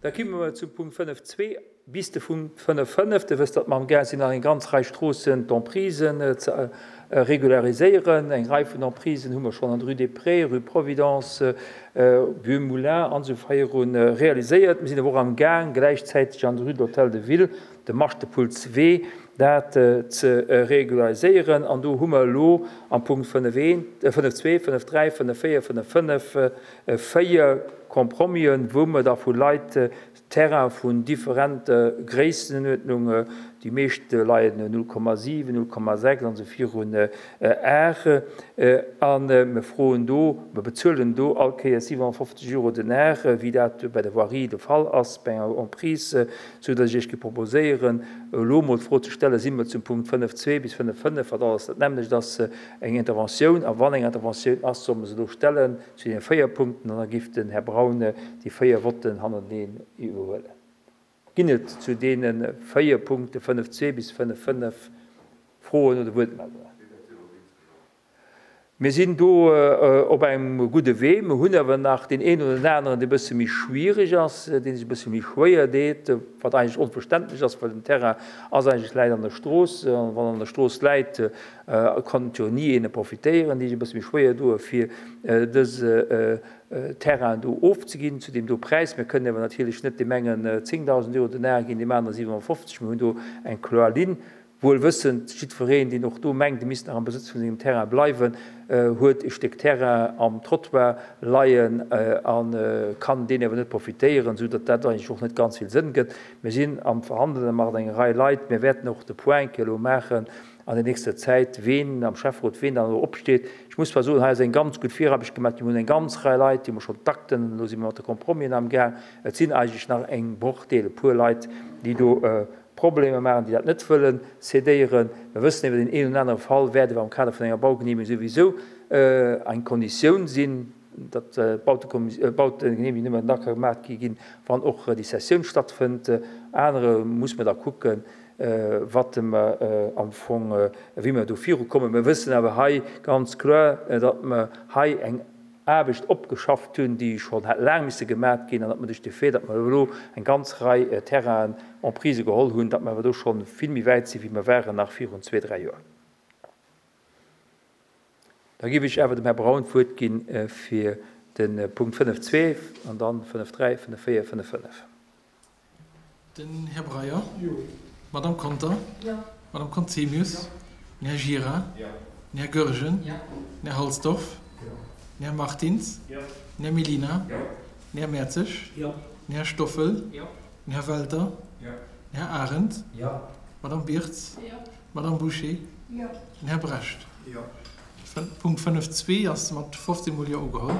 Da komme mer zum Punkt 5.2 bis de Punkt 5.5. Dir wësst, datt mer amgaang sinn, nach eng ganz Rei Stroossen d'Emprisen ze regulariséieren. Eng Rei vun Emprisen hu mer schonn an der Rue des Prés, Rue Providence, Vieux Moulin an esou virun realiséiert. Mir sinn awer och amgaang, gläichzäiteg an der Rue de l'Hôtel de Ville, de Maschtepullswee, dat ze regulariséieren. An do hu mer elo am Punkt 5.1, 5.2, 5.3, 5.4, 5.5 4 Compromisen, wou mer da vu Leit Terrain vun differente Gréissenuerdnung, déi meescht leien 0,7, 0,6 an esou virun, Ar, a mer froen do, mer bezuelen do all Kéiers 57 Euro den Ar, wéi dat bei der Voirie de Fall ass bei enger Emprise, sou datt ech Iech géif proposéieren, elo emol d'Fro ze stellen, Si mer zum Punkt 5,2 bis 5,5, wat alles dat nämmlecht ass, eng Interventioun? A wann eng Interventioun ass, solle mer se elo stellen zu deene 4 Punkten an da géif den Här Braun déi 4 Votten hannerteneen iwwerhuelen. Ginn et zu deene 4 Punkte 5,2 bis 5,5 Froen oder Wuertmeldungen? Mir sinn do op engem gudde Wee. Mir hunn awer nach deen een oder den aneren, dee e bësse méi schwierig ass, dee sech e bësse méi schwéier deet, wat eigentlech onverständlech ass, well den Terrain ass eigentlech, läit an der Strooss. A wann an der Strooss läit, konnt jo ni een e profitéieren, déi sech e bësse méi schwéier doe fir dëse Terrain do ofzeginn zu deem do Präis. Mir kënnen awer natierlech net deem engen 10.000 Euro den Ar ginn, deem anere 57. Mir hunn do eng kloer Linn, wuel wëssend, jiddwereen, deen och do mengt, e misst nach am Besëtz vun sengem Terrain bleiwen, huet e Stéck Terrain am Trottoir leien a kann deen awer net profitéieren, esou datt dat eigentlech och net ganz vill Sënn gëtt. Mir sinn am Verhandelen mat enger Rei Leit. Mir wäerten och de Point elo maachen an der nächster Zäit, ween am Schäfferot, ween dann elo opsteet. Ech muss zwar soen, hei ass eng ganz gutt Viraarbecht gemaach ginn. Mir hunn eng ganz Rei Leit, déi hu mer schonn d'Akten, elo si mer mat de Compromisen amgaang. Et sinn eigentlech nach eng Brochdeel, e puer Leit, déi do Problemer maachen, déi dat net wëlle cédéieren. Mir wëssen iwwer deen een oder anere Fall wäert awer am Kader vun enger Baugenehmegung souwisou eng Konditioun sinn, datt d'Bautegenehmegung nëmmen da ka gemaach gi ginn, wann och déi Cessioun stattfënnt. Anere muss mer da kucken, wat mer am Fong, wéi mer do virukommen. Mir wëssen awer hei ganz kloer, datt mer hei eng Aarbecht opgeschafft hunn, déi schonn hätt laang misse gemat ginn, an datt mer duerch de Fait, datt mer elo eng ganz Rei Terrainen en prise geholl hunn, datt mer awer do scho vill méi wäit sinn, wéi mer waren nach virun zwee, dräi Joer. Da géif ech awer dem Här Braun d'Wuert gi fir de Punkt 5.2 an dann 5.3, 5.4, 5.5. Den Här Breyer. Jo. D'Madame Conter. Jo. D'Madame Conzemius. Jo. Den Här Gira. Jo. Den Här Goergen. Jo. Den Här Halsdorf. Jo. Den Här Martins. Jo. Den Här Mellina. Jo. Den Här Mertzig. Jo. Den Här Stoffel. Jo. Den Här Welter. Jo. Den Här Arendt. Jo. D'Madame Birtz. Jo. D'Madame Bouché. Jo. Den Här Brecht. Jo. Punkt 5.2 ass mat 15 mol Jo ugeholl.